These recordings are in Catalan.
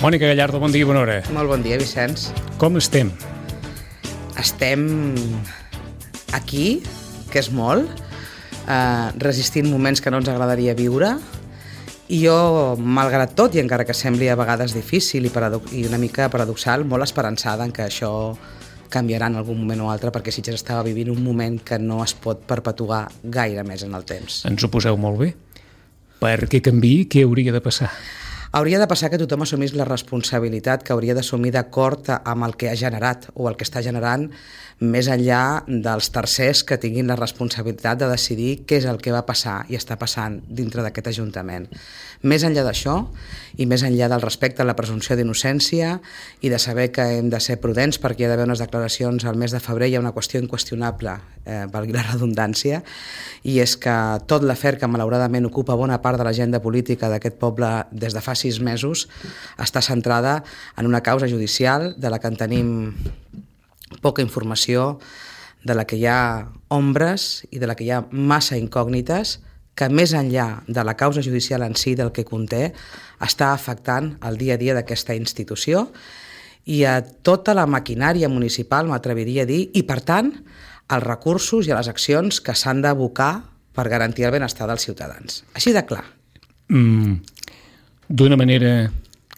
Mònica Gallardo, bon dia i bona hora. Molt bon dia, Vicenç. Com estem? Estem aquí, que és molt, resistint moments que no ens agradaria viure, i jo, malgrat tot, i encara que sembli a vegades difícil i una mica paradoxal, molt esperançada en que això canviarà en algun moment o altre, perquè Sitges estava vivint un moment que no es pot perpetuar gaire més en el temps. Ens ho poseu molt bé. Perquè canviï, què hauria de passar? Hauria de passar que tothom assumís la responsabilitat que hauria d'assumir d'acord amb el que ha generat o el que està generant, més enllà dels tercers que tinguin la responsabilitat de decidir què és el que va passar i està passant dintre d'aquest Ajuntament. Més enllà d'això i més enllà del respecte a la presumpció d'innocència i de saber que hem de ser prudents perquè hi ha d'haver unes declaracions al mes de febrer, hi ha una qüestió inqüestionable, valgui la redundància, i és que tot l'afer que malauradament ocupa bona part de l'agenda política d'aquest poble des de fa 6 mesos està centrada en una causa judicial de la que en tenim poca informació, de la que hi ha ombres i de la que hi ha massa incògnites, que més enllà de la causa judicial en si, del que conté, està afectant el dia a dia d'aquesta institució i a tota la maquinària municipal, m'atreviria a dir, i per tant, als recursos i a les accions que s'han d'abocar per garantir el benestar dels ciutadans. Així de clar. D'una manera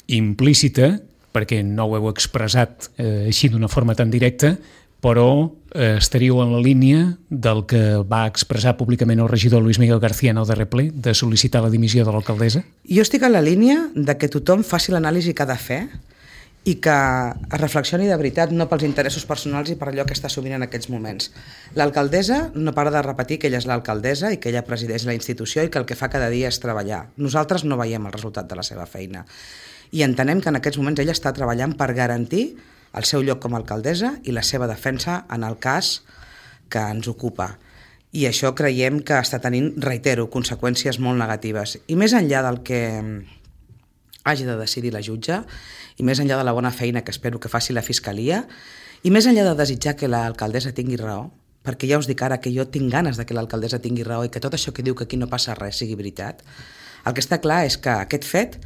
implícita, perquè no ho heu expressat així d'una forma tan directa, però estaríeu en la línia del que va expressar públicament el regidor Luis Miguel García en el darrer ple, de sol·licitar la dimissió de l'alcaldessa? Jo estic en la línia de que tothom faci l'anàlisi que ha de fer i que es reflexioni de veritat, no pels interessos personals i per allò que està assumint en aquests moments. L'alcaldessa no para de repetir que ella és l'alcaldessa i que ella presideix la institució i que el que fa cada dia és treballar. Nosaltres no veiem el resultat de la seva feina. I entenem que en aquests moments ella està treballant per garantir el seu lloc com a alcaldessa i la seva defensa en el cas que ens ocupa. I això creiem que està tenint, reitero, conseqüències molt negatives. I més enllà del que hagi de decidir la jutge, i més enllà de la bona feina que espero que faci la Fiscalia, i més enllà de desitjar que l'alcaldessa tingui raó, perquè ja us dic ara que jo tinc ganes de que l'alcaldessa tingui raó i que tot això que diu que aquí no passa res sigui veritat, el que està clar és que aquest fet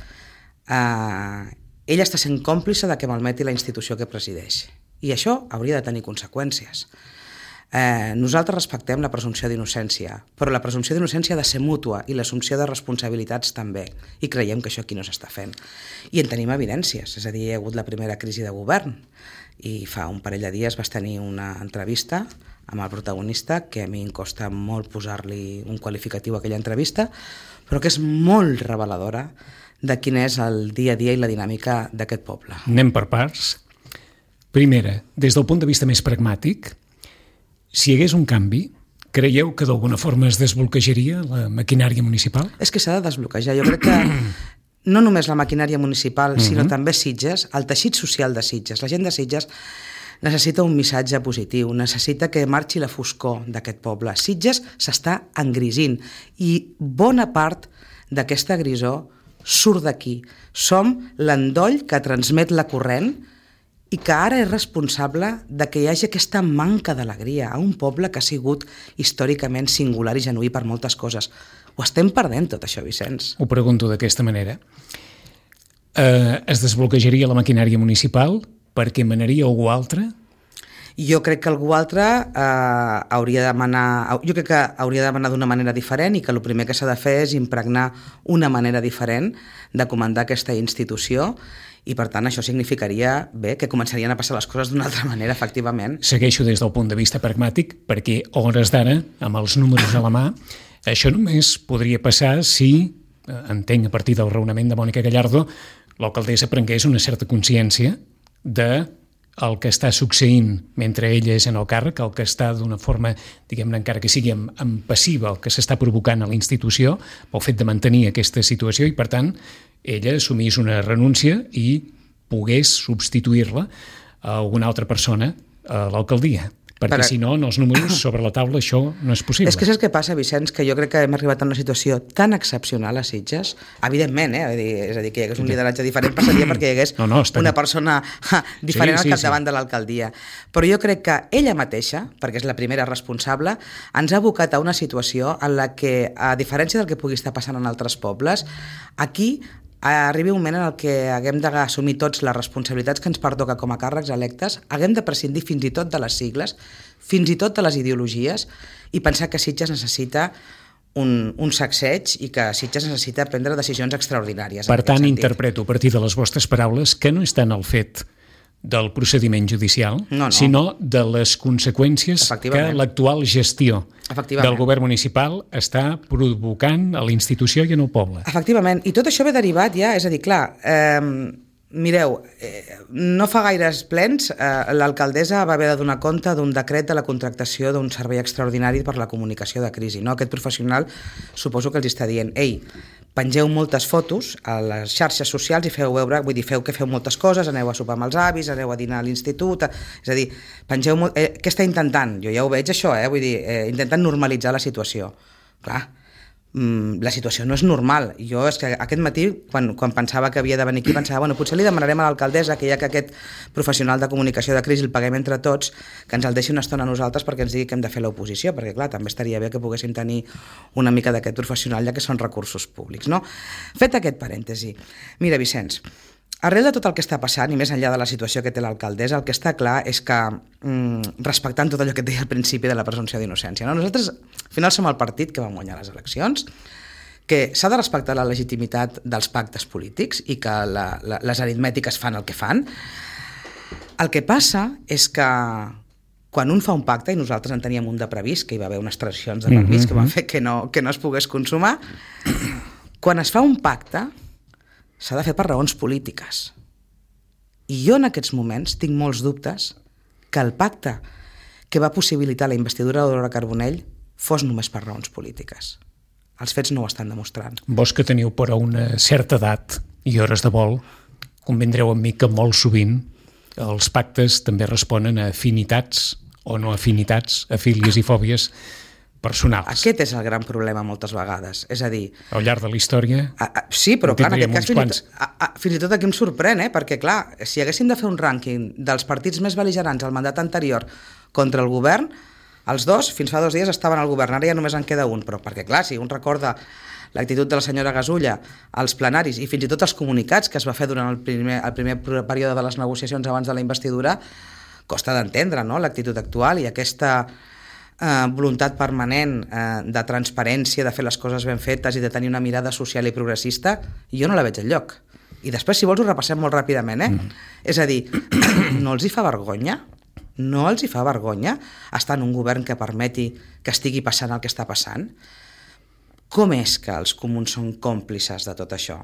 ella està sent còmplice de que malmeti la institució que presideix. I això hauria de tenir conseqüències. Nosaltres respectem la presumpció d'innocència, però la presumpció d'innocència ha de ser mútua i l'assumpció de responsabilitats també. I creiem que això aquí no s'està fent. I en tenim evidències, és a dir, hi ha hagut la primera crisi de govern i fa un parell de dies vas tenir una entrevista amb el protagonista, que a mi em costa molt posar-li un qualificatiu a aquella entrevista, però que és molt reveladora de quin és el dia a dia i la dinàmica d'aquest poble. Anem per parts. Primera, des del punt de vista més pragmàtic, si hi hagués un canvi, creieu que d'alguna forma es desbloquejaria la maquinària municipal? És que s'ha de desbloquejar. Jo crec que no només la maquinària municipal, sinó també Sitges, el teixit social de Sitges. La gent de Sitges necessita un missatge positiu, necessita que marxi la foscor d'aquest poble. Sitges s'està engrisint i bona part d'aquesta grisor surt d'aquí. Som l'endoll que transmet la corrent i que ara és responsable de que hi hagi aquesta manca d'alegria a un poble que ha sigut històricament singular i genuí per moltes coses. Ho estem perdent tot això, Vicenç. Ho pregunto d'aquesta manera. Es desbloquejaria la maquinària municipal perquè manaria algú altre? Jo crec que algú altre hauria de manar d'una manera diferent i que el primer que s'ha de fer és impregnar una manera diferent de comandar aquesta institució i per tant això significaria que començarien a passar les coses d'una altra manera, efectivament. Segueixo des del punt de vista pragmàtic perquè a hores d'ara, amb els números a la mà, això només podria passar si, entenc a partir del raonament de Mònica Gallardo, l'alcaldessa prengués una certa consciència de el que està succeint mentre ella és en el càrrec, el que està d'una forma, diguem-ne, encara que sigui en passiva, el que s'està provocant a la institució, pel fet de mantenir aquesta situació i, per tant, ella assumís una renúncia i pogués substituir-la a alguna altra persona a l'alcaldia. Perquè si no, en els números sobre la taula això no és possible. És que saps què passa, Vicenç? Que jo crec que hem arribat a una situació tan excepcional a Sitges, evidentment, és a dir, que hi hagués un lideratge diferent passaria perquè hi hagués una persona diferent al capdavant de l'alcaldia. Però jo crec que ella mateixa, perquè és la primera responsable, ens ha abocat a una situació en la que, a diferència del que pugui estar passant en altres pobles, aquí arribi un moment en el que haguem d'assumir tots les responsabilitats que ens pertoca com a càrrecs electes, haguem de prescindir fins i tot de les sigles, fins i tot de les ideologies, i pensar que Sitges necessita un sacseig i que Sitges necessita prendre decisions extraordinàries. Per tant, interpreto a partir de les vostres paraules que no és tant el fet del procediment judicial, sinó de les conseqüències que l'actual gestió del govern municipal està provocant a la institució i en el poble. Efectivament, i tot això ve derivat ja, és a dir, clar, mireu, no fa gaires plens l'alcaldessa va haver de donar compte d'un decret de la contractació d'un servei extraordinari per la comunicació de crisi. Aquest professional suposo que els està dient, ei, pengeu moltes fotos a les xarxes socials i feu veure, vull dir, feu moltes coses, aneu a sopar amb els avis, aneu a dinar a l'institut, és a dir, pengeu molt... què està intentant? Jo ja ho veig això, vull dir, intenten normalitzar la situació. Clar, la situació no és normal. Jo és que aquest matí, quan pensava que havia de venir aquí, pensava, bueno, potser li demanarem a l'alcaldessa que ja que aquest professional de comunicació de crisi el paguem entre tots, que ens el deixi una estona a nosaltres perquè ens digui que hem de fer l'oposició, perquè clar, també estaria bé que poguéssim tenir una mica d'aquest professional, ja que són recursos públics, no? Fet aquest parèntesi, mira, Vicenç, arrel de tot el que està passant i més enllà de la situació que té l'alcaldessa, el que està clar és que, respectant tot allò que et deia al principi de la presumpció d'innocència, no? Nosaltres al final som el partit que vam guanyar les eleccions, que s'ha de respectar la legitimitat dels pactes polítics i que les aritmètiques fan el que fan. El que passa és que quan un fa un pacte, i nosaltres en teníem un de previst, que hi va haver unes transaccions de permís que van fer que no es pogués consumar, quan es fa un pacte s'ha de fer per raons polítiques. I jo en aquests moments tinc molts dubtes que el pacte que va possibilitar la investidura d'Aurora Carbonell fos només per raons polítiques. Els fets no ho estan demostrant. Vos que teniu però una certa edat i hores de vol, convindreu amb mi que molt sovint els pactes també responen a afinitats o no afinitats, a fílies i fòbies personals. Aquest és el gran problema moltes vegades. És a dir... Al llarg de la història... Sí, però clar, en aquest cas fins i tot aquí em sorprèn, perquè clar, si haguéssim de fer un rànquing dels partits més bel·ligerants al mandat anterior contra el govern, els dos, fins fa 2 dies, estaven al govern, ara ja només en queda un, però perquè clar, si un recorda l'actitud de la senyora Gasulla als plenaris i fins i tot els comunicats que es va fer durant el primer període de les negociacions abans de la investidura, costa d'entendre, no?, l'actitud actual i aquesta voluntat permanent de transparència, de fer les coses ben fetes i de tenir una mirada social i progressista, jo no la veig enlloc. I després, si vols, ho repassem molt ràpidament, És a dir, no els hi fa vergonya? No els hi fa vergonya estar en un govern que permeti que estigui passant el que està passant? Com és que els comuns són còmplices de tot això?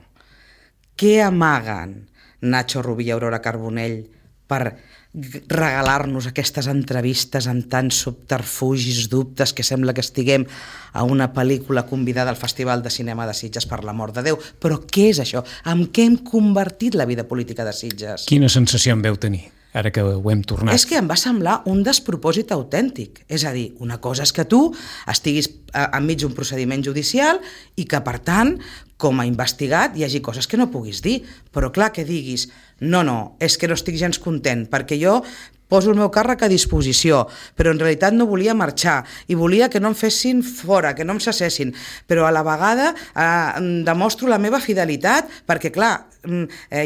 Què amaguen Nacho Rubí i Aurora Carbonell per regalar-nos aquestes entrevistes amb tants subterfugis, dubtes, que sembla que estiguem a una pel·lícula convidada al Festival de Cinema de Sitges, per l'amor de Déu? Però què és això? En què hem convertit la vida política de Sitges? Quina sensació en veu tenir, ara que ho hem tornat? És que em va semblar un despropòsit autèntic. És a dir, una cosa és que tu estiguis enmig d'un procediment judicial i que, per tant, com a investigat, hi hagi coses que no puguis dir. Però clar, que diguis, no, és que no estic gens content, perquè jo poso el meu càrrec a disposició, però en realitat no volia marxar i volia que no em fessin fora, que no em cessessin, però a la vegada demostro la meva fidelitat perquè, clar,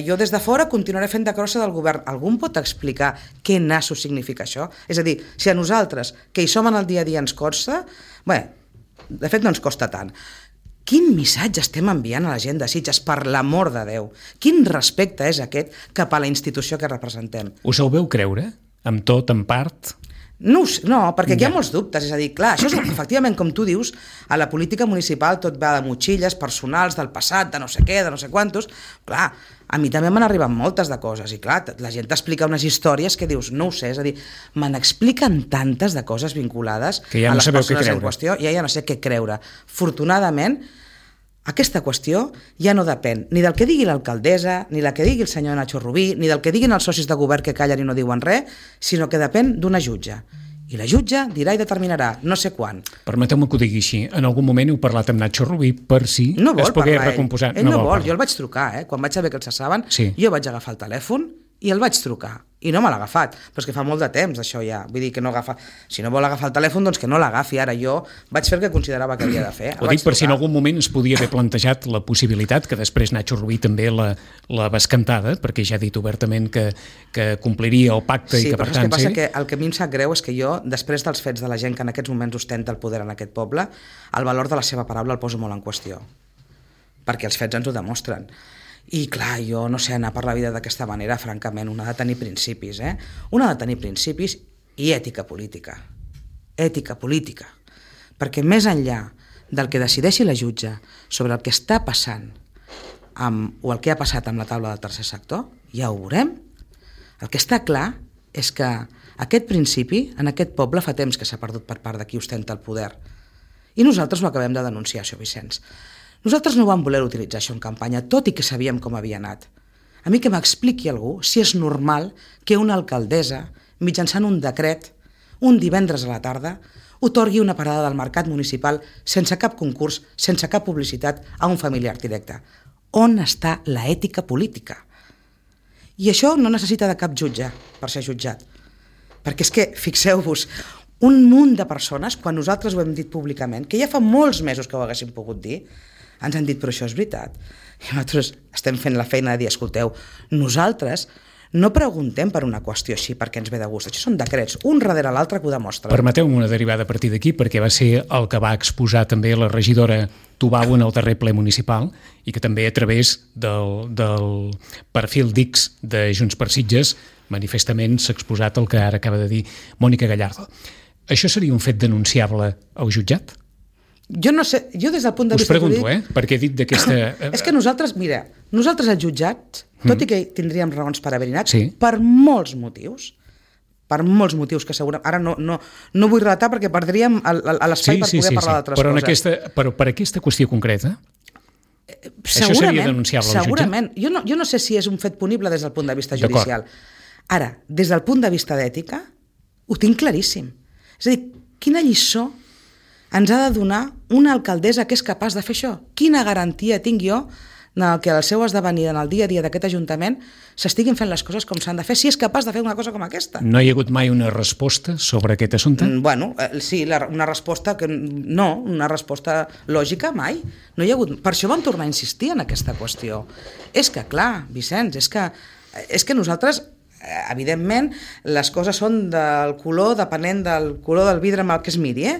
jo des de fora continuaré fent de crossa del govern. Algú em pot explicar què nasso significa això? És a dir, si a nosaltres, que hi som en el dia a dia, ens costa, bé, de fet no ens costa tant. Quin missatge estem enviant a la gent de Sitges, per l'amor de Déu? Quin respecte és aquest cap a la institució que representem? Us el veu creure? Amb tot, en part? No, perquè aquí hi ha molts dubtes. És a dir, clar, això és, efectivament, com tu dius, a la política municipal tot va de motxilles personals, del passat, de no sé què, de no sé quantos. Clar, a mi també m'han arribat moltes de coses i clar, la gent t'explica unes històries que dius, no ho sé, és a dir, me n'expliquen tantes de coses vinculades que ja no a les persones en qüestió, ja no sé què creure. Afortunadament, aquesta qüestió ja no depèn ni del que digui l'alcaldessa, ni del que digui el senyor Nacho Rubí, ni del que diguin els socis de govern que callen i no diuen res, sinó que depèn d'una jutge. I la jutge dirà i determinarà, no sé quan. Permeteu-me que ho digui així. En algun moment heu parlat amb Nacho Rubí per si es pogués recomposar. Ell no vol. Jo el vaig trucar, quan vaig saber que el cessaven, jo vaig agafar el telèfon i el vaig trucar. I no me l'ha agafat, però és que fa molt de temps això ja, vull dir que no agafa, si no vol agafar el telèfon doncs que no l'agafi, ara jo vaig fer el que considerava que havia de fer. Ho dic per si en algun moment es podia haver plantejat la possibilitat, que després Nacho Rubí també la bescantada, perquè ja ha dit obertament que compliria el pacte i que per tant... Sí, però el que passa que el que a mi em sap greu és que jo, després dels fets de la gent que en aquests moments ostenta el poder en aquest poble, el valor de la seva paraula el poso molt en qüestió, perquè els fets ens ho demostren. I clar, jo no sé, anar per la vida d'aquesta manera, francament, un ha de tenir principis, un ha de tenir principis i ètica política. Ètica política. Perquè més enllà del que decideixi la jutge sobre el que està passant o el que ha passat amb la taula del tercer sector, ja ho veurem. El que està clar és que aquest principi en aquest poble fa temps que s'ha perdut per part de qui ostenta el poder. I nosaltres ho acabem de denunciar, això, Vicenç. Nosaltres no vam voler utilitzar això en campanya, tot i que sabíem com havia anat. A mi que m'expliqui algú si és normal que una alcaldessa, mitjançant un decret, un divendres a la tarda, otorgui una parada del mercat municipal sense cap concurs, sense cap publicitat, a un familiar directe. On està la ètica política? I això no necessita de cap jutge per ser jutjat. Perquè és que, fixeu-vos, un munt de persones, quan nosaltres ho hem dit públicament, que ja fa molts mesos que ho haguéssim pogut dir, ens han dit, però això és veritat. I nosaltres estem fent la feina de dir, escolteu, nosaltres no preguntem per una qüestió així perquè ens ve de gust. Això són decrets, un darrere l'altre que ho demostren. Permeteu-me una derivada a partir d'aquí, perquè va ser el que va exposar també la regidora Tubau en el darrer ple municipal i que també a través del perfil d'X de Junts per Sitges manifestament s'ha exposat el que ara acaba de dir Mònica Gallardo. Això seria un fet denunciable al jutjat? Jo no sé, jo des del punt de vista... Us pregunto, perquè he dit d'aquesta... És que nosaltres, mira, nosaltres als jutjats, tot i que tindríem raons per haver-hi anat, sí, per molts motius que segurament... Ara no vull relatar perquè perdríem l'espai per poder parlar d'altres coses. Però per aquesta qüestió concreta, això seria denunciable al jutjat? Segurament. Jo no sé si és un fet punible des del punt de vista judicial. Ara, des del punt de vista d'ètica, ho tinc claríssim. És a dir, quina lliçó ens ha de donar una alcaldessa que és capaç de fer això? Quina garantia tinc jo que al seu esdevenir en el dia a dia d'aquest Ajuntament s'estiguin fent les coses com s'han de fer, si és capaç de fer una cosa com aquesta? No hi ha hagut mai una resposta sobre aquest assumpte? Bueno, sí, una resposta que no, una resposta lògica mai. No hi ha hagut. Per això vam tornar a insistir en aquesta qüestió. És que, clar, Vicenç, és que nosaltres, evidentment, les coses són del color, depenent del color del vidre amb el que es miri,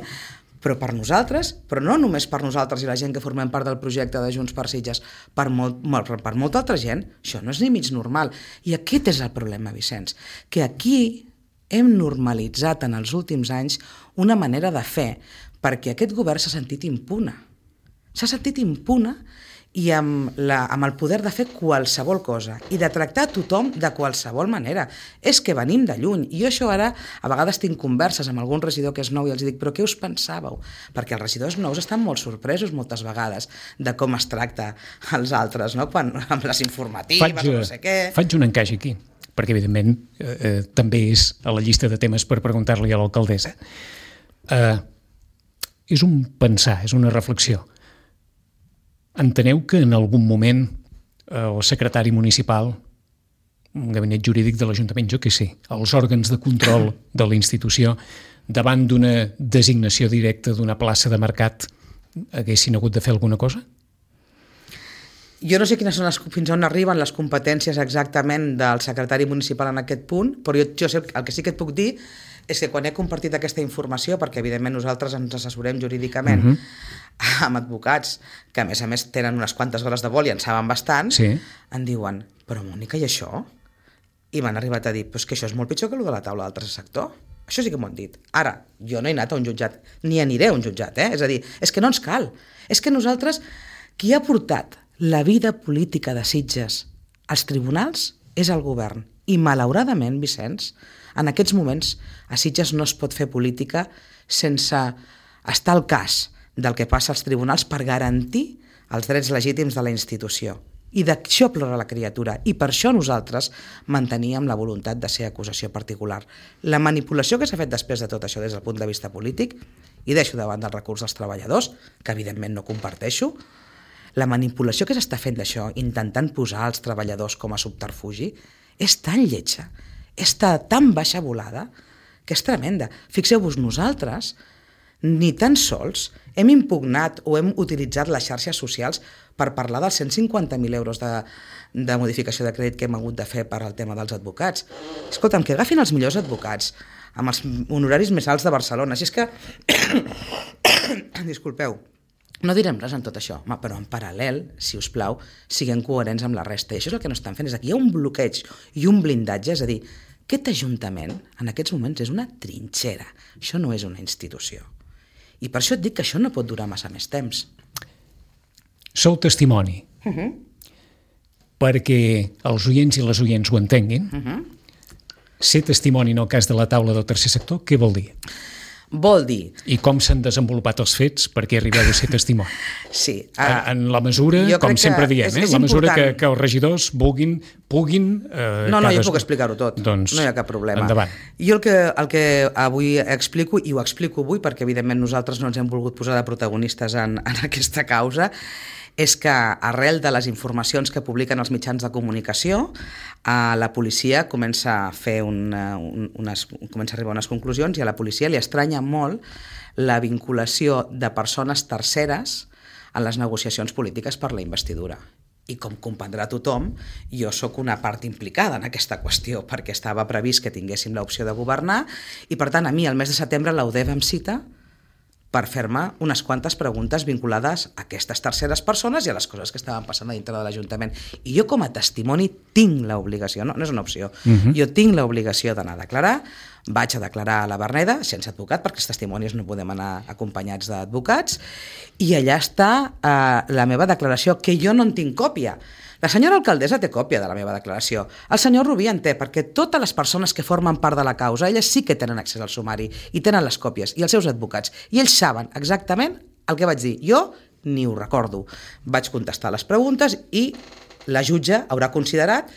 però per nosaltres, però no només per nosaltres i la gent que formem part del projecte de Junts per Sitges, per molta altra gent, això no és ni mig normal. I aquest és el problema, Vicenç, que aquí hem normalitzat en els últims anys una manera de fer, perquè aquest govern s'ha sentit impune. S'ha sentit impune i amb el poder de fer qualsevol cosa i de tractar tothom de qualsevol manera. És que venim de lluny. I jo això ara, a vegades tinc converses amb algun regidor que és nou i els dic, però què us pensàveu? Perquè els regidors nous estan molt sorpresos moltes vegades de com es tracta els altres, no? Amb les informatives o no sé què. Faig un encaix aquí, perquè evidentment també és a la llista de temes per preguntar-li a l'alcaldessa. És un pensar, és una reflexió. Enteneu que en algun moment el secretari municipal, un gabinet jurídic de l'Ajuntament, jo què sé, els òrgans de control de la institució, davant d'una designació directa d'una plaça de mercat, haguessin hagut de fer alguna cosa? Jo no sé quines són fins on arriben les competències exactament del secretari municipal en aquest punt, però jo sé, el que sí que et puc dir és que quan he compartit aquesta informació, perquè evidentment nosaltres ens assessorem jurídicament amb advocats que a més tenen unes quantes hores de vol i en saben bastant, em diuen, però Mònica, i això? I m'han arribat a dir, però és que això és molt pitjor que el de la taula del tercer sector. Això sí que m'ho han dit. Ara, jo no he anat a un jutjat, ni aniré a un jutjat, és a dir, és que no ens cal. És que nosaltres, qui ha portat la vida política de Sitges als tribunals és el govern. I malauradament, Vicenç, en aquests moments a Sitges no es pot fer política sense estar al cas del que passa als tribunals per garantir els drets legítims de la institució. I d'això plora la criatura. I per això nosaltres manteníem la voluntat de ser acusació particular. La manipulació que s'ha fet després de tot això des del punt de vista polític, i deixo davant del recurs dels treballadors, que evidentment no comparteixo, la manipulació que s'està fent d'això, intentant posar els treballadors com a subterfugi, és tan lletja, està tan baixa volada que és tremenda. Fixeu-vos, nosaltres ni tan sols hem impugnat o hem utilitzat les xarxes socials per parlar dels 150.000 euros de modificació de crèdit que hem hagut de fer per al tema dels advocats. Escolta'm, que agafin els millors advocats amb els honoraris més alts de Barcelona. Si és que... Disculpeu, no direm res en tot això, però en paral·lel, si us plau, siguem coherents amb la resta. I això és el que no estan fent, és que hi ha un bloqueig i un blindatge, és a dir, aquest ajuntament en aquests moments és una trinxera, això no és una institució. I per això et dic que això no pot durar massa més temps. Sou testimoni, perquè els oients i les oients ho entenguin. Ser testimoni en el cas de la taula del tercer sector, què vol dir? Vol dir... I com s'han desenvolupat els fets perquè arribeu a ser testimoni? Sí. En la mesura, com sempre diem, la mesura que els regidors puguin... No, jo puc explicar-ho tot, doncs, no hi ha cap problema. Endavant. Jo el que avui explico, i ho explico avui perquè evidentment nosaltres no ens hem volgut posar de protagonistes en aquesta causa, és que arrel de les informacions que publiquen els mitjans de comunicació, la policia comença a fer comença a arribar a unes conclusions i a la policia li estranya molt la vinculació de persones terceres en les negociacions polítiques per la investidura. I com comprendrà tothom, jo sóc una part implicada en aquesta qüestió perquè estava previst que tinguéssim l'opció de governar i per tant a mi el mes de setembre l'UDEF em cita per fer-me unes quantes preguntes vinculades a aquestes terceres persones i a les coses que estaven passant a dintre de l'Ajuntament. I jo com a testimoni tinc l'obligació, no és una opció, jo tinc l'obligació d'anar a declarar, vaig a declarar a la Verneda, sense advocat, perquè els testimonis no podem anar acompanyats d'advocats, i allà està la meva declaració, que jo no en tinc còpia. La senyora alcaldessa té còpia de la meva declaració. El senyor Rubí en té, perquè totes les persones que formen part de la causa, elles sí que tenen accés al sumari i tenen les còpies, i els seus advocats. I ells saben exactament el que vaig dir. Jo ni ho recordo. Vaig contestar les preguntes i la jutge haurà considerat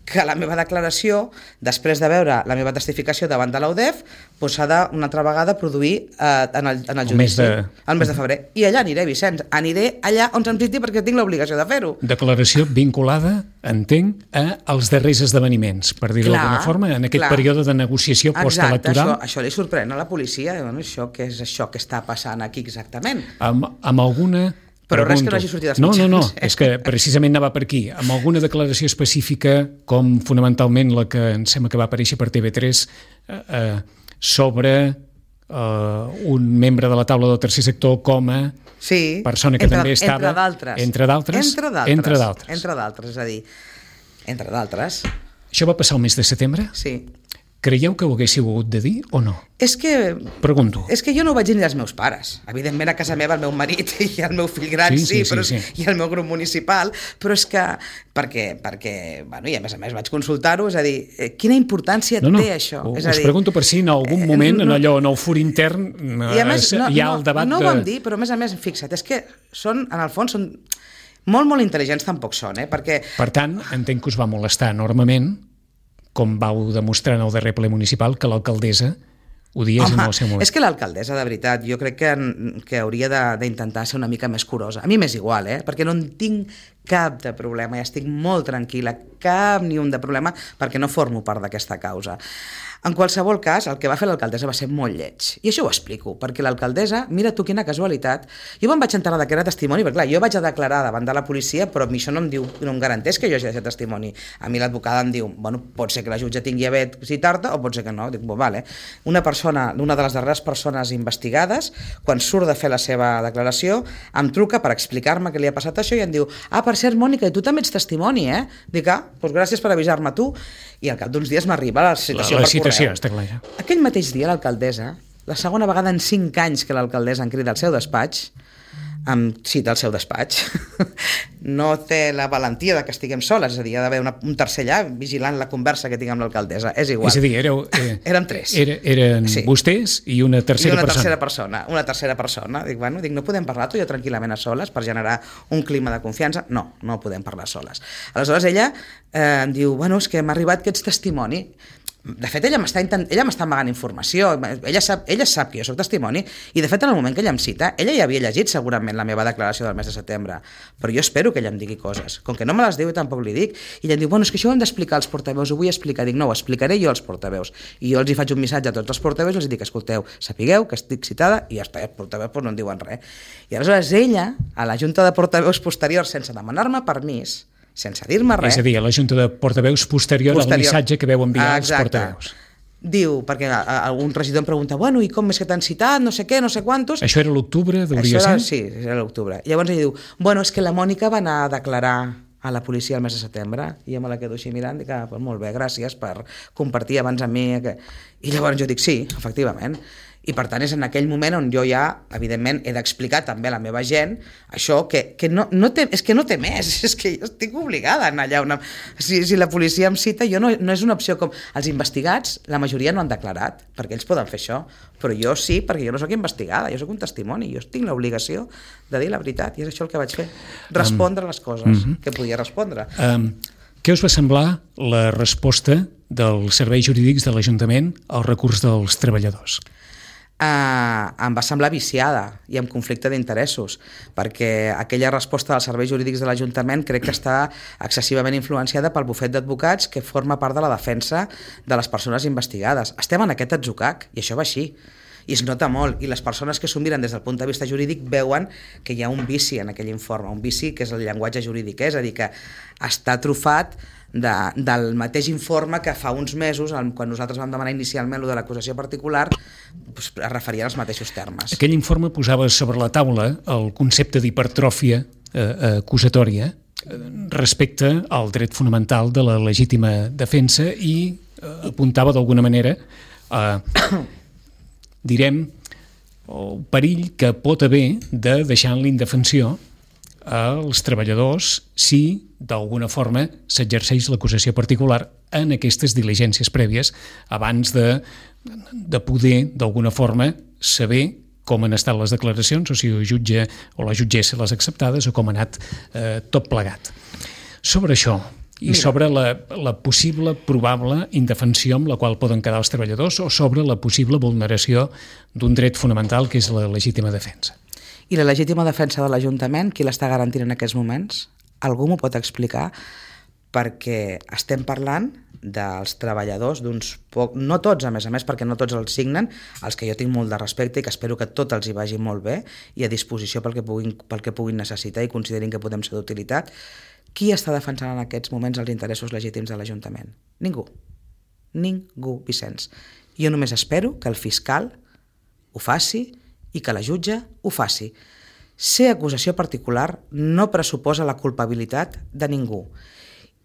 que la meva declaració, després de veure la meva testificació davant de l'UDEF, s'ha d'una altra vegada produir en el judici, el mes de febrer. I allà aniré, Vicenç, aniré allà on se'm citi perquè tinc l'obligació de fer-ho. Declaració vinculada, entenc, als darrers esdeveniments, per dir-ho d'alguna forma, en aquest període de negociació postelectoral. Exacte, això li sorprèn a la policia. Això què és això que està passant aquí exactament? Amb alguna... Però res que no hagi sortit als mitjans. No, és que precisament anava per aquí. Amb alguna declaració específica, com fonamentalment la que em sembla que va aparèixer per TV3, sobre un membre de la taula del tercer sector com a persona que també estava... Entre d'altres. Entre d'altres. És a dir, entre d'altres. Això va passar el mes de setembre? Sí. Creieu que ho haguéssiu hagut de dir o no? Pregunto. És que jo no ho vaig dir ni als meus pares. Evidentment a casa meva el meu marit i el meu fill gran sí. I el meu grup municipal, però és que perquè bueno, i a més vaig consultar-ho, és a dir, quina importància té això? Us pregunto per si en algun moment en el fur intern hi ha el debat no ho vam dir, però a més, fixa't, és que són, en el fons, són molt intel·ligents, tampoc són, perquè... Per tant, entenc que us va molestar enormement, com vau demostrar en el darrer ple municipal, que l'alcaldessa ho dies en el seu moment. És que l'alcaldessa, de veritat, jo crec que hauria d'intentar ser una mica més curosa. A mi m'és igual, perquè no en tinc cap de problema, i estic molt tranquil·la, cap ni un de problema, perquè no formo part d'aquesta causa. En qualsevol cas, el que va fer l'alcaldessa va ser molt lleig. I això ho explico, perquè l'alcaldessa, mira tu quina casualitat, jo me'n vaig enterar que era testimoni, perquè clar, jo vaig a declarar davant de la policia, però a mi això no em garanteix que jo hagi de ser testimoni. A mi l'advocada em diu, bueno, pot ser que la jutge tingui a bé citar-te, o pot ser que no. Dic, vale. Una de les darreres persones investigades, quan surt de fer la seva declaració, em truca per explicar-me què li ha passat això i em diu, per cert, Mònica, i tu també ets testimoni, eh? Dic, doncs gràcies per avisar-me tu. I al cap d'uns dies m'arriba la citació per correu. Està clar, ja. Aquell mateix dia l'alcaldessa, la segona vegada en 5 anys que l'alcaldessa em crida al seu despatx, em cita al seu despatx, no té la valentia de que estiguem soles, és a dir, hi ha d'haver un tercer allà vigilant la conversa que tinc amb l'alcaldessa, és igual. És a dir, érem 3. Eren vostès i una tercera persona. Una tercera persona. Dic, no podem parlar tu i jo tranquil·lament a soles per generar un clima de confiança? No podem parlar soles. Aleshores ella em diu, és que m'ha arribat que ets testimoni. De fet, ella m'està amagant informació, ella sap que jo soc testimoni, i de fet, en el moment que ella em cita, ella ja havia llegit segurament la meva declaració del mes de setembre, però jo espero que ella em digui coses. Com que no me les diu, tampoc li dic, i ella em diu, bueno, és que això ho hem d'explicar als portaveus, ho vull explicar. Dic, no, ho explicaré jo als portaveus. I jo els hi faig un missatge a tots els portaveus i els dic, escolteu, sapigueu que estic citada, i ja està, els portaveus no en diuen res. I aleshores ella, a la Junta de Portaveus posterior, sense demanar-me permís, sense dir-me res... És a dir, a la Junta de Portaveus posterior al missatge que veu enviar als portaveus. Diu, perquè algun regidor em pregunta, bueno, i com és que t'han citat, no sé què, no sé quantos... Això era l'octubre, hauria ser? Sí, era l'octubre. Llavors ella diu, bueno, és que la Mònica va anar a declarar a la policia el mes de setembre, i jo me la quedo així mirant, dic, pues molt bé, gràcies per compartir abans amb mi... I llavors jo dic, sí, efectivament. I per tant és en aquell moment on jo ja, evidentment, he d'explicar també a la meva gent això, que no té, és que no té més, és que jo estic obligada a anar allà. Si la policia em cita, no és una opció com... Els investigats, la majoria no han declarat, perquè ells poden fer això, però jo sí, perquè jo no sóc investigada, jo sóc un testimoni, jo tinc l'obligació de dir la veritat, i és això el que vaig fer, respondre les coses que podia respondre. Què us va semblar la resposta dels serveis jurídics de l'Ajuntament al recurs dels treballadors? Em va semblar viciada i amb conflicte d'interessos, perquè aquella resposta dels serveis jurídics de l'Ajuntament crec que està excessivament influenciada pel bufet d'advocats que forma part de la defensa de les persones investigades. Estem en aquest atzucac i això va així. I es nota molt, i les persones que s'ho miren des del punt de vista jurídic veuen que hi ha un vici en aquell informe, un vici que és el llenguatge jurídic, és a dir, que està trufat del mateix informe que fa uns mesos, quan nosaltres vam demanar inicialment lo de l'acusació particular, es referia als mateixos termes. Aquell informe posava sobre la taula el concepte d'hipertròfia acusatòria respecte al dret fonamental de la legítima defensa i apuntava d'alguna manera direm, el perill que pot haver de deixar en l'indefensió als treballadors si d'alguna forma s'exerceix l'acusació particular en aquestes diligències prèvies abans de poder d'alguna forma saber com han estat les declaracions o si el jutge o la jutgessa les acceptades o com ha anat tot plegat. Sobre això i sobre la possible, probable indefensió amb la qual poden quedar els treballadors o sobre la possible vulneració d'un dret fonamental que és la legítima defensa. I la legítima defensa de l'Ajuntament, qui l'està garantint en aquests moments? Algú m'ho pot explicar? Perquè estem parlant dels treballadors d'uns pocs, no tots a més, perquè no tots els signen, els que jo tinc molt de respecte i que espero que tot els hi vagi molt bé i a disposició pel que puguin necessitar i considerin que podem ser d'utilitat. Qui està defensant en aquests moments els interessos legítims de l'Ajuntament? Ningú. Ningú, Vicenç. Jo només espero que el fiscal ho faci i que la jutge ho faci. Ser acusació particular no pressuposa la culpabilitat de ningú.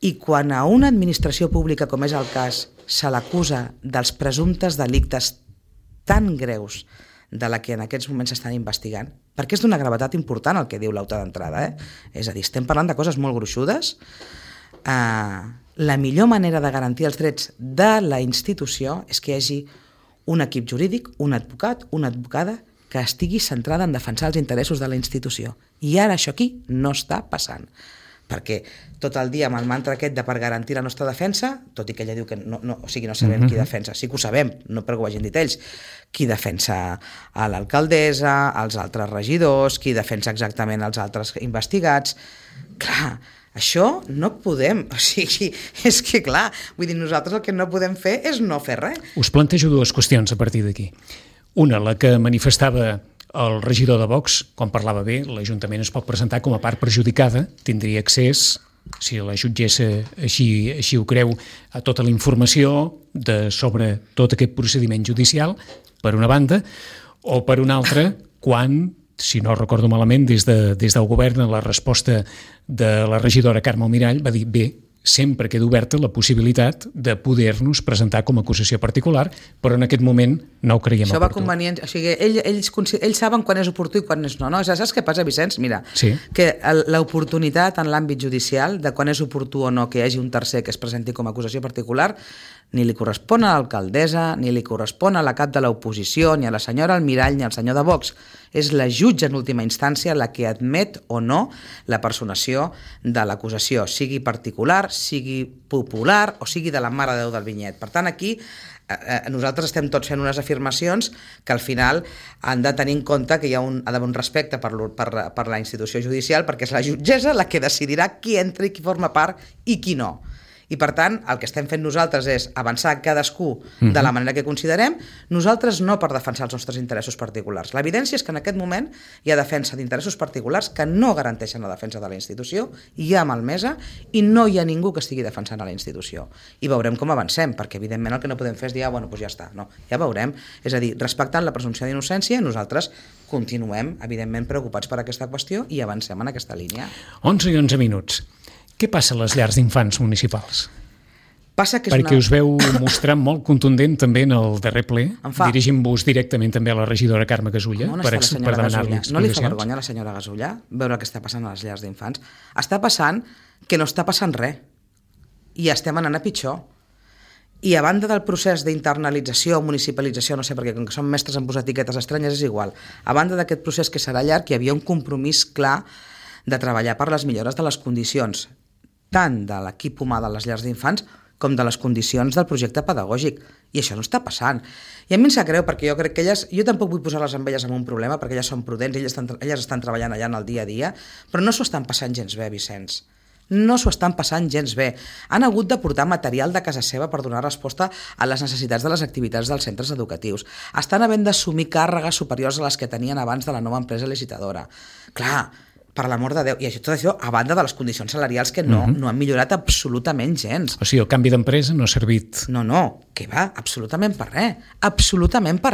I quan a una administració pública, com és el cas, se l'acusa dels presumptes delictes tan greus de la que en aquests moments s'estan investigant, perquè és d'una gravetat important el que diu l'autor d'entrada, és a dir, estem parlant de coses molt gruixudes, la millor manera de garantir els drets de la institució és que hi hagi un equip jurídic, un advocat, una advocada que estigui centrada en defensar els interessos de la institució. I ara això aquí no està passant. Perquè tot el dia amb el mantra aquest de per garantir la nostra defensa, tot i que ella diu que no sabem qui defensa, sí que ho sabem, no perquè ho hagin dit ells, qui defensa a l'alcaldessa, els altres regidors, qui defensa exactament els altres investigats. Clar, això no podem, o sigui, és que clar, vull dir, nosaltres el que no podem fer és no fer res. Us plantejo dues qüestions a partir d'aquí. Una, la que manifestava el regidor de Vox, quan parlava bé, l'Ajuntament es pot presentar com a part perjudicada, tindria accés, si la jutgessa així ho creu, a tota la informació sobre tot aquest procediment judicial, per una banda, o per una altra, quan, si no recordo malament, des del govern, la resposta de la regidora Carme Almirall va dir, bé, sempre queda oberta la possibilitat de poder-nos presentar com a acusació particular, però en aquest moment no ho creiem oportú. Això va convenient, o sigui, ells saben quan és oportú i quan és no. Saps què passa, Vicenç? Mira, sí. Que l'oportunitat en l'àmbit judicial de quan és oportú o no que hi hagi un tercer que es presenti com a acusació particular ni li correspon a l'alcaldessa, ni li correspon a la cap de l'oposició, ni a la senyora Almirall, ni al senyor de Vox. És la jutge en última instància la que admet o no la personació de l'acusació, sigui particular, sigui popular o sigui de la Mare de Déu del Vinyet. Per tant, aquí nosaltres estem tots fent unes afirmacions que al final han de tenir en compte que ha d'haver un respecte per la institució judicial, perquè és la jutgessa la que decidirà qui entra i qui forma part i qui no. I per tant, el que estem fent nosaltres és avançar cadascú de la manera que considerem, nosaltres no per defensar els nostres interessos particulars. L'evidència és que en aquest moment hi ha defensa d'interessos particulars que no garanteixen la defensa de la institució, hi ha malmesa i no hi ha ningú que estigui defensant a la institució. I veurem com avancem, perquè evidentment el que no podem fer és dir, bueno, doncs ja està. No, ja veurem. És a dir, respectant la presumpció d'innocència, nosaltres continuem, evidentment, preocupats per aquesta qüestió i avancem en aquesta línia. 11 i 11 minuts. Què passa a les llars d'infants municipals? Passa que perquè us veu mostrar molt contundent també en el darrer ple, dirigint-vos directament també a la regidora Carme Gasulla per demanar-li explicacions. No li fa vergonya a la senyora Gasulla veure el que està passant a les llars d'infants? Està passant que no està passant res i estem anant a pitjor. I a banda del procés d'internalització o municipalització, no sé, perquè com que som mestres en posar etiquetes estranyes és igual, a banda d'aquest procés que serà llarg, hi havia un compromís clar de treballar per les millores de les condicions tant de l'equip humà de les llars d'infants com de les condicions del projecte pedagògic. I això no està passant. I a mi em sap greu, perquè jo crec que jo tampoc vull posar-les amb elles en un problema, perquè elles són prudents, elles estan treballant allà en el dia a dia, però no s'ho estan passant gens bé, Vicenç. No s'ho estan passant gens bé. Han hagut de portar material de casa seva per donar resposta a les necessitats de les activitats dels centres educatius. Estan havent d'assumir càrregues superiors a les que tenien abans de la nova empresa licitadora. Clar, per l'amor de Déu, i tot això a banda de les condicions salarials que no han millorat absolutament gens. O sigui, el canvi d'empresa no ha servit... No, que va, absolutament per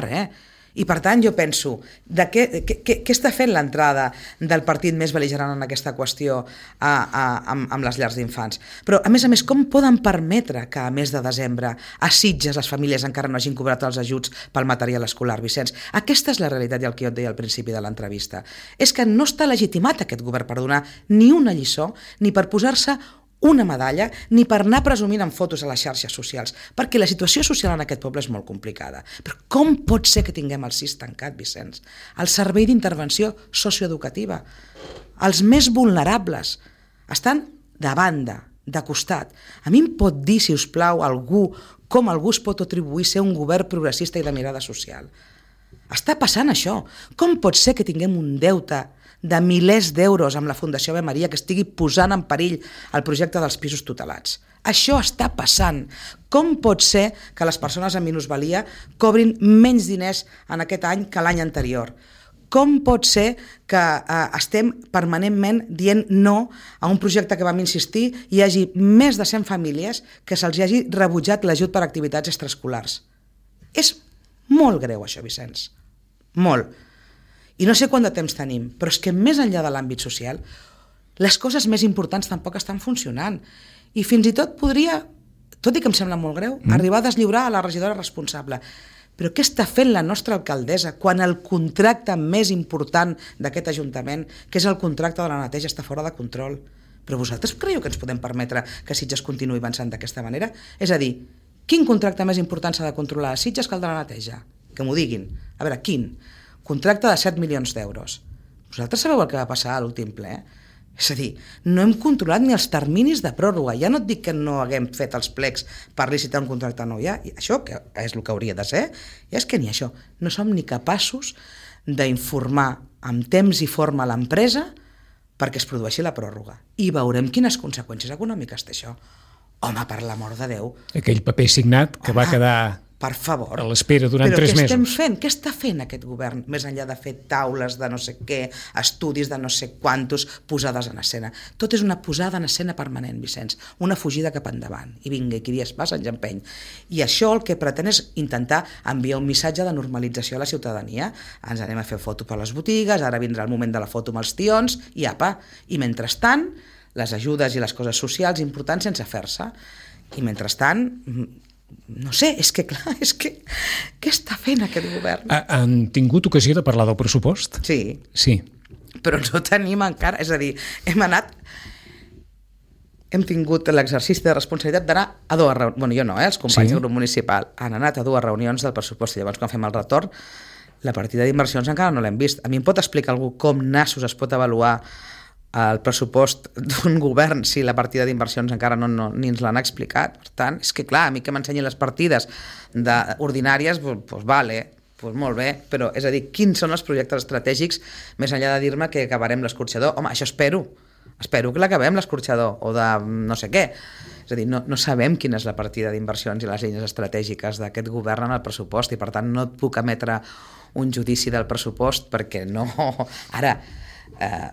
res. I per tant jo penso, què està fent l'entrada del partit més bel·ligerant en aquesta qüestió amb les llars d'infants? Però a més, com poden permetre que a mes de desembre a Sitges les famílies encara no hagin cobrat els ajuts pel material escolar, Vicenç? Aquesta és la realitat i el que jo et deia al principi de l'entrevista. És que no està legitimat aquest govern per donar ni una lliçó ni per posar-se una medalla, ni per anar presumint en fotos a les xarxes socials, perquè la situació social en aquest poble és molt complicada. Però com pot ser que tinguem el SIS tancat, Vicenç? El servei d'intervenció socioeducativa. Els més vulnerables estan de banda, de costat. A mi em pot dir, si us plau, com algú es pot atribuir ser un govern progressista i de mirada social? Està passant això. Com pot ser que tinguem un deute de milers d'euros amb la Fundació Ave Maria que estigui posant en perill el projecte dels pisos tutelats? Això està passant. Com pot ser que les persones amb minusvalia cobrin menys diners en aquest any que l'any anterior? Com pot ser que estem permanentment dient no a un projecte que vam insistir i hi hagi més de 100 famílies que se'ls hagi rebutjat l'ajut per activitats extraescolars? És molt greu això, Vicenç. Molt. I no sé quant de temps tenim, però és que més enllà de l'àmbit social, les coses més importants tampoc estan funcionant. I fins i tot podria, tot i que em sembla molt greu, arribar a deslliurar a la regidora responsable. Però què està fent la nostra alcaldessa quan el contracte més important d'aquest Ajuntament, que és el contracte de la neteja, està fora de control? Però vosaltres creieu que ens podem permetre que Sitges continuï avançant d'aquesta manera? És a dir, quin contracte més important s'ha de controlar a Sitges que el de la neteja? Que m'ho diguin. A veure, quin? Contracte de 7 milions d'euros. Vosaltres sabeu el que va passar a l'últim ple? És a dir, no hem controlat ni els terminis de pròrroga. Ja no et dic que no haguem fet els plecs per licitar un contracte nou. Ja, això que és el que hauria de ser, ja és que ni això. No som ni capaços d'informar amb temps i forma a l'empresa perquè es produeixi la pròrroga. I veurem quines conseqüències econòmiques té això. Home, per l'amor de Déu. Aquell paper signat que va quedar... Per favor. A l'espera durant 3 mesos. Però què estem fent? Què està fent aquest govern? Més enllà de fer taules de no sé què, estudis de no sé quantos, posades en escena. Tot és una posada en escena permanent, Vicenç. Una fugida cap endavant. I vinga, i qui dies passa ens empeny. I això el que pretén és intentar enviar un missatge de normalització a la ciutadania. Ens anem a fer foto per les botigues, ara vindrà el moment de la foto amb els tions, i apa. I mentrestant, les ajudes i les coses socials importants sense fer-se. I mentrestant... No sé, és que clar, què està fent aquest govern? Han tingut ocasió de parlar del pressupost? Sí. Sí. Però no tenim encara, és a dir, hem anat... hem tingut l'exercici de responsabilitat d'anar a dues reunions, bueno, jo no, els companys del grup municipal han anat a dues reunions del pressupost i llavors quan fem el retorn la partida d'inversions encara no l'hem vist. A mi em pot explicar algú com nassos es pot avaluar el pressupost d'un govern si la partida d'inversions encara ni ens l'han explicat? Per tant, és que clar, a mi que m'ensenyin les partides ordinàries, doncs vale, doncs molt bé, però és a dir, quins són els projectes estratègics més enllà de dir-me que acabarem l'escorxador? Home, això espero que l'acabem l'escorxador o de no sé què. És a dir, no sabem quina és la partida d'inversions i les línies estratègiques d'aquest govern en el pressupost i per tant no et puc emetre un judici del pressupost perquè no... Ara,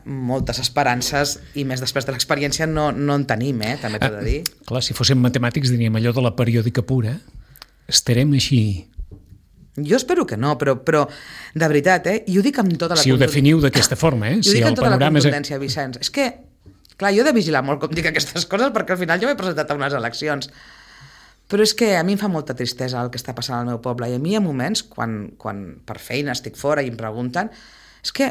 moltes esperances i més després de l'experiència no en tenim, també t'ho he de dir. Clar, si fóssim matemàtics diríem allò de la periòdica pura. Estarem així. Jo espero que no, però de veritat, i ho dic amb tota la... Si ho definiu d'aquesta forma, I ho dic amb tota la contundència, Vicenç. És que, clar, jo he de vigilar molt com dic aquestes coses perquè al final jo m'he presentat a unes eleccions. Però és que a mi em fa molta tristesa el que està passant al meu poble i a mi hi ha moments, quan per feina estic fora i em pregunten, és que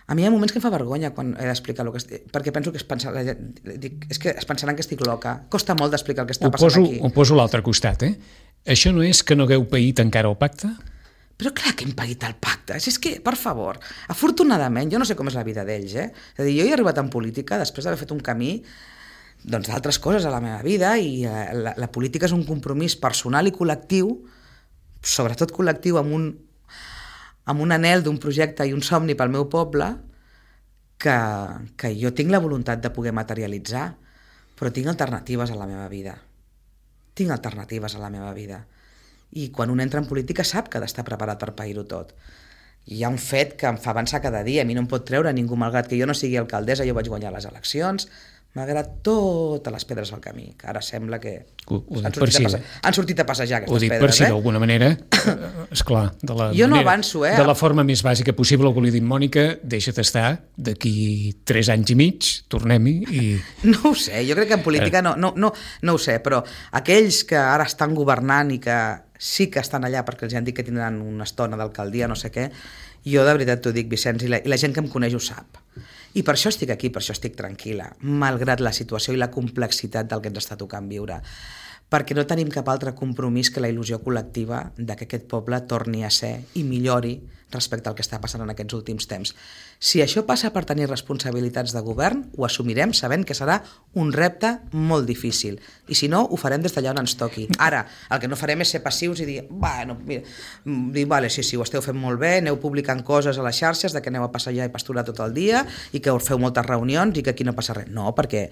a mi hi ha moments que em fa vergonya quan he d'explicar el que estic... Perquè penso que és que es pensaran que estic loca. Costa molt d'explicar el que està passant aquí. Ho poso a l'altre costat, Això no és que no hagueu paït encara el pacte? Però clar que hem paït el pacte. És que, per favor, afortunadament, jo no sé com és la vida d'ells, És a dir, jo he arribat en política després d'haver fet un camí d'altres coses a la meva vida i la política és un compromís personal i col·lectiu, sobretot col·lectiu amb un anhel d'un projecte i un somni pel meu poble que jo tinc la voluntat de poder materialitzar, però tinc alternatives a la meva vida. I quan un entra en política sap que ha d'estar preparat per pair-ho tot. Hi ha un fet que em fa avançar cada dia, a mi no em pot treure ningú, malgrat que jo no sigui alcaldessa, jo vaig guanyar les eleccions, malgrat totes les pedres al camí, que ara sembla que han sortit a passejar aquestes pedres. Ho dic per si d'alguna manera, esclar, de la forma més bàsica possible, algú li dic, Mònica, deixa't estar, d'aquí 3 anys i mig, tornem-hi i... No ho sé, jo crec que en política no ho sé, però aquells que ara estan governant i que sí que estan allà perquè els han dit que tindran una estona d'alcaldia, no sé què, jo de veritat t'ho dic, Vicenç, i la gent que em coneix ho sap. I per això estic aquí, per això estic tranquil·la, malgrat la situació i la complexitat del que ens està tocant viure. Perquè no tenim cap altre compromís que la il·lusió col·lectiva de que aquest poble torni a ser i millori respecte al que està passant en aquests últims temps. Si això passa per tenir responsabilitats de govern, ho assumirem sabent que serà un repte molt difícil. I si no, ho farem des d'allà on ens toqui. Ara, el que no farem és ser passius i dir, bueno, mira, vale, sí, ho esteu fent molt bé, aneu publicant coses a les xarxes de que aneu a passejar i pasturar tot el dia i que feu moltes reunions i que aquí no passa res. No, perquè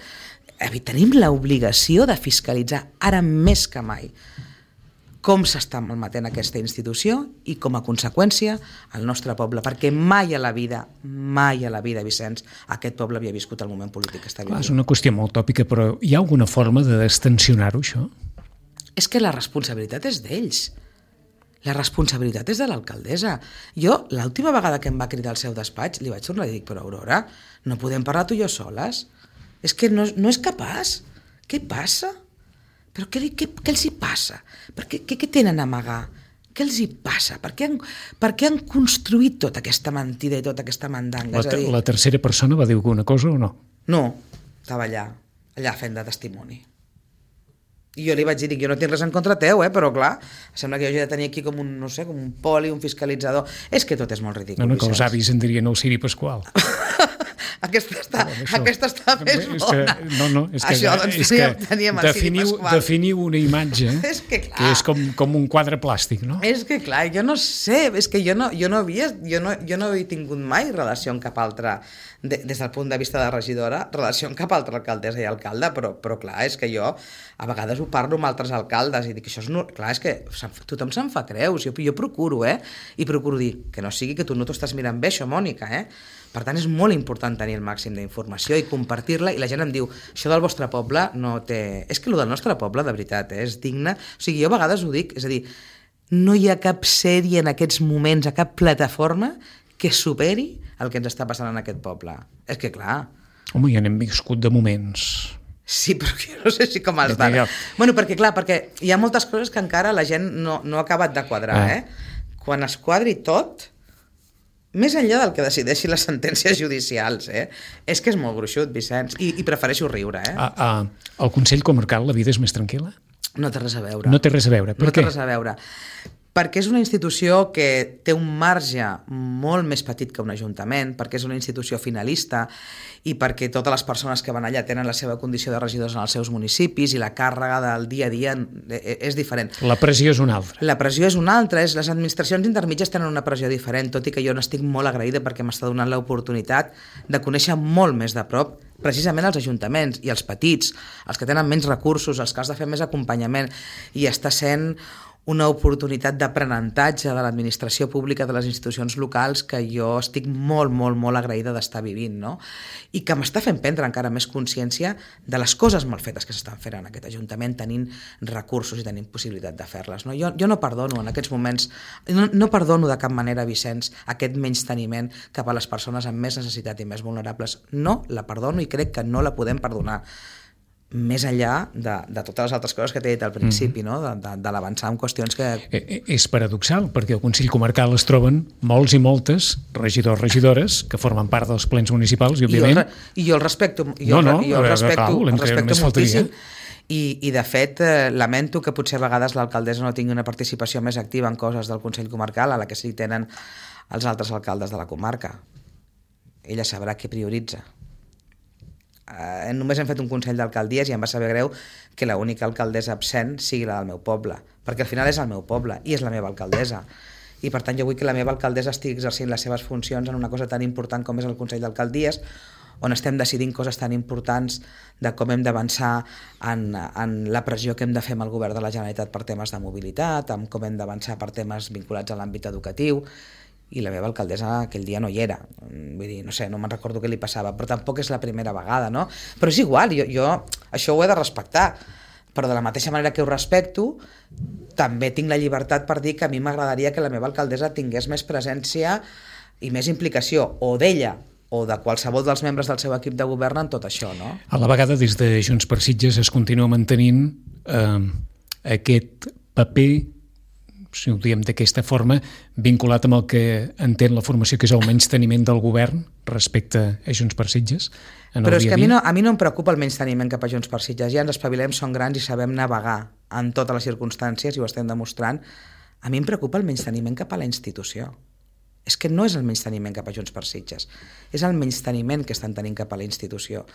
tenim l'obligació de fiscalitzar ara més que mai com s'està malmetent aquesta institució i com a conseqüència el nostre poble, perquè mai a la vida, Vicenç, aquest poble havia viscut el moment polític que està vivint. És una qüestió molt tòpica, però hi ha alguna forma de destensionar-ho, això? És que la responsabilitat és d'ells. La responsabilitat és de l'alcaldessa. Jo, l'última vegada que em va cridar al seu despatx, li vaig tornar i dic, però Aurora, no podem parlar tu i jo soles? És que no és capaç. Què passa? Però què els hi passa? Què tenen a amagar? Què els hi passa? Per què han construït tota aquesta mentida i tota aquesta mandanga? La tercera persona va dir alguna cosa o no? No, estava allà fent de testimoni. I jo li vaig dir, jo no tinc res en contra teu, però clar, sembla que jo he de tenir aquí com un, no sé, com un poli, un fiscalitzador. És que tot és molt ridícul. No, que els avis en dirien el Ciri Pasqual. Aquesta està més bona. És que definiu una imatge que és com un quadre plàstic, no? És que clar, jo no sé, és que jo no he tingut mai relació amb cap altra, des del punt de vista de regidora, relació amb cap altra alcaldessa i alcalde, però clar, és que jo a vegades ho parlo amb altres alcaldes i dic, això és clar, és que tothom se'n fa creus, jo procuro, i procuro dir que no sigui que tu no t'ho estàs mirant bé, això, Mònica, Per tant, és molt important tenir el màxim d'informació i compartir-la, i la gent em diu, això del vostre poble no té... És que el del nostre poble, de veritat, és digne... O sigui, jo a vegades ho dic, és a dir, no hi ha cap sèrie en aquests moments, a cap plataforma que superi el que ens està passant en aquest poble. És que, clar... Home, ja n'hem viscut de moments... Sí, però jo no sé si com els d'ara. Bueno, perquè hi ha moltes coses que encara la gent no ha acabat de quadrar, Quan es quadri tot... més enllà del que decideixin les sentències judicials, és que és molt gruixut, Vicenç, i prefereixo riure. Al Consell Comarcal la vida és més tranquil·la? No té res a veure. No té res a veure. Per què? No té res a veure. Perquè és una institució que té un marge molt més petit que un ajuntament, perquè és una institució finalista i perquè totes les persones que van allà tenen la seva condició de regidors en els seus municipis i la càrrega del dia a dia és diferent. La pressió és una altra. La pressió és una altra. Les administracions intermitges tenen una pressió diferent, tot i que jo n'estic molt agraïda perquè m'està donant l'oportunitat de conèixer molt més de prop precisament els ajuntaments i els petits, els que tenen menys recursos, els que has de fer més acompanyament, i està sent una oportunitat d'aprenentatge de l'administració pública de les institucions locals que jo estic molt, molt, molt agraïda d'estar vivint, no? I que m'està fent prendre encara més consciència de les coses mal fetes que s'estan fent en aquest Ajuntament, tenint recursos i tenint possibilitat de fer-les, no? Jo no perdono en aquests moments, no perdono de cap manera, Vicenç, aquest menysteniment cap a les persones amb més necessitat i més vulnerables. No la perdono i crec que no la podem perdonar, més enllà de totes les altres coses que t'he dit al principi, no? de l'avançar en qüestions que... És paradoxal, perquè al Consell Comarcal es troben molts i moltes regidors, regidores, que formen part dels plens municipals, i òbviament... I jo el respecto, el respecto moltíssim, i de fet lamento que potser a vegades l'alcaldessa no tingui una participació més activa en coses del Consell Comarcal a la que sí tenen els altres alcaldes de la comarca. Ella sabrà què prioritza. Només hem fet un consell d'alcaldies i em va saber greu que l'única alcaldessa absent sigui la del meu poble, perquè al final és el meu poble i és la meva alcaldessa, i per tant jo vull que la meva alcaldessa estigui exercint les seves funcions en una cosa tan important com és el consell d'alcaldies, on estem decidint coses tan importants de com hem d'avançar en la pressió que hem de fer amb el govern de la Generalitat per temes de mobilitat, amb com hem d'avançar per temes vinculats a l'àmbit educatiu, i la meva alcaldessa aquell dia no hi era. Vull dir, no sé, no me'n recordo què li passava, però tampoc és la primera vegada, no? Però és igual, jo això ho he de respectar, però de la mateixa manera que ho respecto, també tinc la llibertat per dir que a mi m'agradaria que la meva alcaldessa tingués més presència i més implicació, o d'ella, o de qualsevol dels membres del seu equip de govern en tot això, no? A la vegada, des de Junts per Sitges es continua mantenint aquest paper, si ho diem d'aquesta forma, vinculat amb el que entén la formació, que és el menysteniment del govern respecte a Junts per Sitges. Però és que a mi no em preocupa el menysteniment cap a Junts per Sitges. Ja ens espavilem, som grans i sabem navegar en totes les circumstàncies i ho estem demostrant. A mi em preocupa el menysteniment cap a la institució. És que no és el menysteniment cap a Junts per Sitges, és el menysteniment que estan tenint cap a la institució.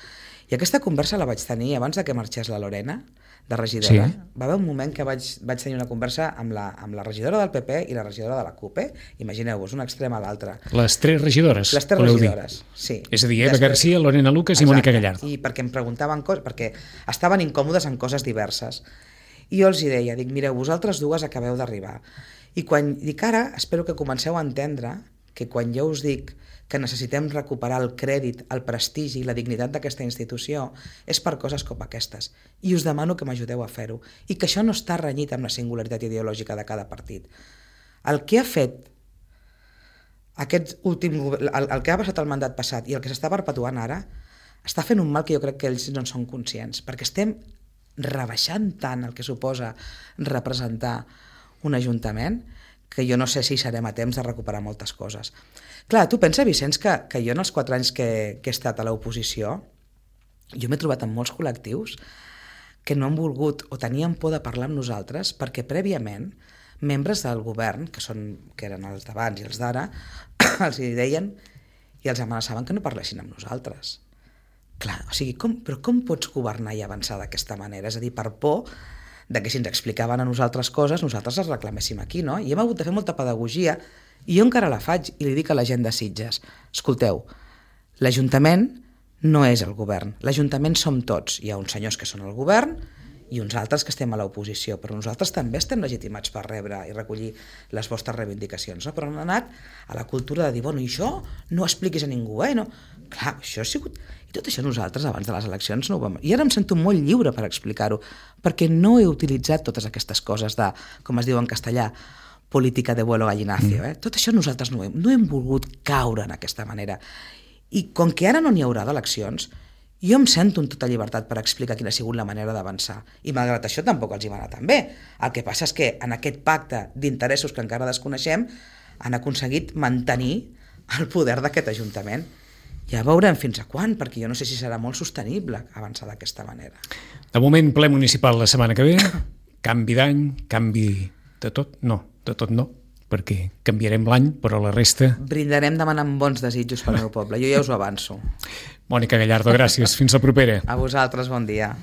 I aquesta conversa la vaig tenir abans de que marxés la Lorena, de regidora. Sí. Va haver un moment que vaig tenir una conversa amb la regidora del PP i la regidora de la CUP. Imagineu-vos, un extrem a l'altre. Les tres regidores? Les tres regidores, sí. És a dir, Eva García, Lorena Lucas i Mònica Gallardo. I perquè em preguntaven coses, perquè estaven incòmodes en coses diverses. I jo els hi deia, mireu, vosaltres dues acabeu d'arribar. I quan dic ara, espero que comenceu a entendre que quan jo us dic que necessitem recuperar el crèdit, el prestigi i la dignitat d'aquesta institució és per coses com aquestes. I us demano que m'ajudeu a fer-ho. I que això no està renyit amb la singularitat ideològica de cada partit. El que ha fet el que ha passat el mandat passat i el que s'està perpetuant ara està fent un mal que jo crec que ells no en són conscients, perquè estem rebaixant tant el que suposa representar un ajuntament que jo no sé si serem a temps de recuperar moltes coses. Clar, tu pensa, Vicenç, que jo en els 4 anys que he estat a l'oposició, jo m'he trobat amb molts col·lectius que no han volgut o tenien por de parlar amb nosaltres perquè prèviament membres del govern, que eren els d'abans i els d'ara, els hi deien i els amenaçaven que no parlessin amb nosaltres. Clar, o sigui, però com pots governar i avançar d'aquesta manera? És a dir, per por de que si ens explicaven a nosaltres coses, nosaltres les reclaméssim aquí, no? I hem hagut de fer molta pedagogia, i jo encara la faig, i li dic a la gent de Sitges, escolteu, l'Ajuntament no és el govern, l'Ajuntament som tots, hi ha uns senyors que són el govern i uns altres que estem a l'oposició, però nosaltres també estem legitimats per rebre i recollir les vostres reivindicacions, no? Però han anat a la cultura de dir, bueno, i això no ho expliquis a ningú, no? Clar, això ha sigut... I tot això nosaltres, abans de les eleccions, no ho vam... I ara em sento molt lliure per explicar-ho, perquè no he utilitzat totes aquestes coses de, com es diu en castellà, política de vuelo gallinacio. Tot això nosaltres no hem volgut caure en aquesta manera. I com que ara no n'hi haurà d'eleccions, jo em sento en tota llibertat per explicar quina ha sigut la manera d'avançar. I malgrat això tampoc els hi va anar tan bé. El que passa és que en aquest pacte d'interessos que encara desconeixem han aconseguit mantenir el poder d'aquest Ajuntament. Ja veurem fins a quan, perquè jo no sé si serà molt sostenible avançar d'aquesta manera. De moment, ple municipal la setmana que ve, canvi d'any, canvi de tot? No, de tot no, perquè canviarem l'any, però la resta... Brindarem demanant bons desitjos pel meu poble, jo ja us ho avanço. Mònica Gallardo, gràcies. Fins la propera. A vosaltres, bon dia.